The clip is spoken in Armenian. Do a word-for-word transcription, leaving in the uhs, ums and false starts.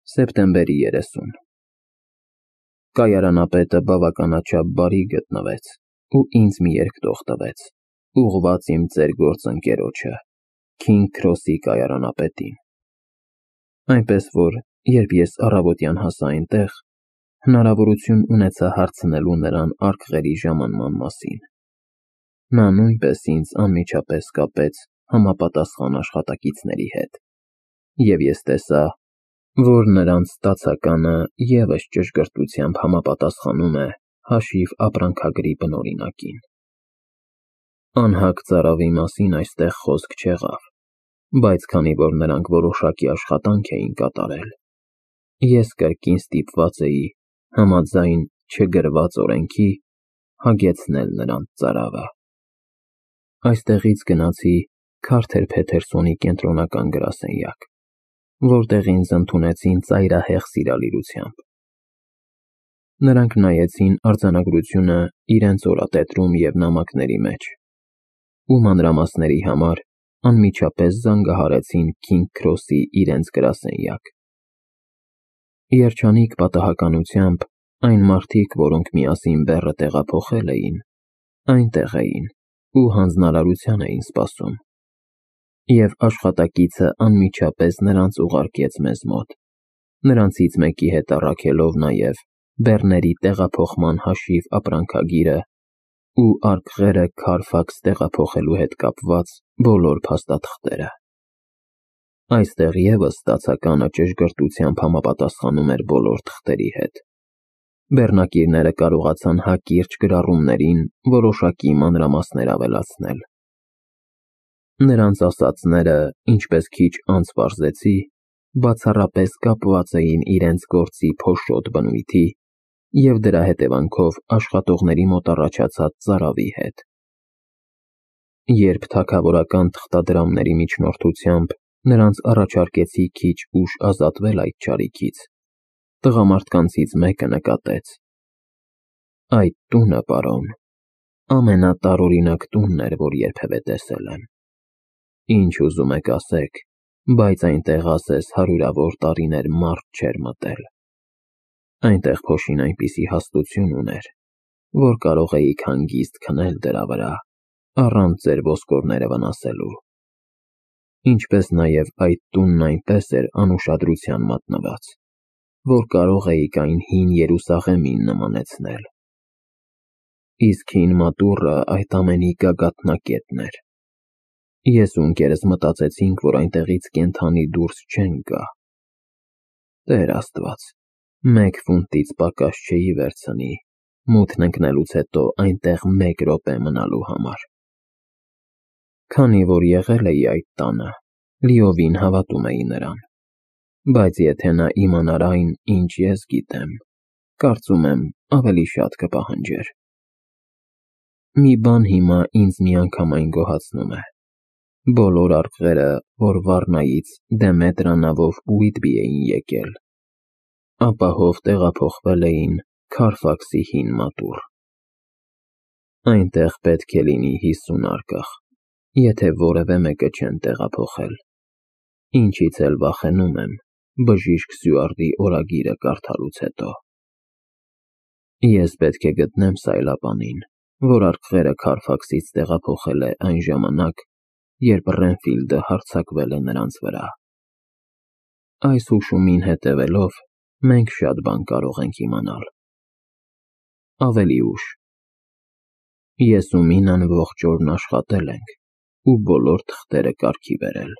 Սեպտեմբերի երեսուն Կայարանապետը բավականաչափ բարի գտնվեց ու ինձ մի երկտող տվեց, ուղղված իմ ծեր գործընկերոջը, Քինգ Քրոսի կայարանապետին, այնպես որ, երբ ես առավոտյան հասա այնտեղ, հնարավորություն ունեցա հարցնելու նրան արկղերի ժամանման մասին, նա նույնպես ինձ անմիջապես կապեց համապատասխան աշխատակիցների հետ, և ես տեսա, որ նրանց ստացականը ևս ճշգրտությամբ համապատասխանում է հաշիվ ապրանքագրի բնօրինակին։ Անհագ ծարավի մասին այստեղ խոսք չեղավ, բայց քանի որ նրանք որոշակի աշխատանք էին կատարել, ես կրկին ստիպված էի, համաձայն չգրված օրենքի, հագեցնել նրանց ծարավը։ Այստեղից գնացի Քարթեր Փեթերսոնի կենտրոնական գրասենյակ, որտեղ ինձ ընդունեցին ծայրահեղ սիրալիրությամբ։ Նրանք նայեցին արձանագրությունը իրենց օրատետրում և նամակների մեջ ու մանրամասների համար անմիջապես զանգահարեցին Քինգ Քրոսի իրենց գրասենյակ։ Երջանիկ պատահականությամբ այն մարդիկ, որոնք միասին բեռը տեղափոխել էին, այնտեղ էին ու հանձնարարության էին սպասում, և աշխատակիցը անմիջապես նրանց ուղարկեց մեզ մոտ, նրանցից մեկի հետ առաքելով նաև բեռների տեղափոխման հաշիվ ապրանքագիրը ու արկղերը Քարֆաքս տեղափոխելու հետ կապված բոլոր փաստաթղթերը։ Այստեղ ևս ստացականը ճշգրտությամբ համապատասխանում էր բոլոր թղթերի հետ։ Բեռնակիրները կարողացան հակիրճ գրառումներին որոշակի մանրամասներ ավելացնել։ Նրանց ասածները, ինչպես քիչ անց պարզեցի, բացառապես կապված էին իրենց գործի փոշոտ բնույթի և դրա հետևանքով աշխատողների մոտ առաջացած ծարավի հետ։ Երբ թագավորական թղթադրամների միջնորդությամբ նրանց առաջարկեցի քիչ ուշ ազատվել այդ չարիքից, տղամարդկանցից մեկը նկատեց. «Այդ տունը, պարոն, ամենատարօրինակ տունն էր, որ երբևէ տեսել եմ։ Ինչ ուզում եք ասեք, բայց այնտեղ ասես հարյուրավոր տարիներ մարդ չէր մտել։ Այնտեղ փոշին այնպիսի հաստություն ուներ, որ կարող էիք հանգիստ քնել դրա վրա, առանց ձեր ոսկորները վնասելու։ Ինչպես նաև այդ տունն այնպես էր անուշադրության մատնված, որ կարող էիք այն հին Երուսաղեմին նմանեցնել։ Իսկ հին մատուռը այդ ամենի գագաթնակետն էր։ Ես ու ընկերս մտածեցինք, որ այնտեղից կենդանի դուրս չեն գա։ Տեր Աստված, մեկ ֆունտից պակաս չէի վերցնի մութն ընկնելուց հետո այնտեղ մեկ րոպե մնալու համար։ Քանի որ եղել էի այդ տանը, լիովին հավատում էի նրան, բայց եթե նա իմանար այն, ինչ ես գիտեմ, կարծում եմ, ավելի շատ կպահանջեր։ Մի բան հիմա ինձ միանգամայն գոհացնում է. բոլոր արկղերը, որ Վառնայից Դեմետրա նավով Ուիտբի էին եկել, ապահով տեղափոխվել էին Քարֆաքսի հին մատուռ։ Այնտեղ պետք է լինի հիսուն արկղ, եթե որևէ մեկը չեն տեղափոխել, ինչից էլ վախենում եմ բժիշկ Սյուարտի օրագիրը կարդալուց հետո։ Ես պետք է գտնեմ սայլապանին, որ արկղերը Քարֆաքսից տեղափոխել է այն ժամանակ, երբ Ռենֆիլդը հարձակվել է նրանց վրա։ Այս հուշումին հետևելով, մենք շատ բան կարող ենք իմանալ։ Ավելի ուշ։ Ես ու Մինան ողջ օրն աշխատել ենք ու բոլոր թղթերը կարգի բերել։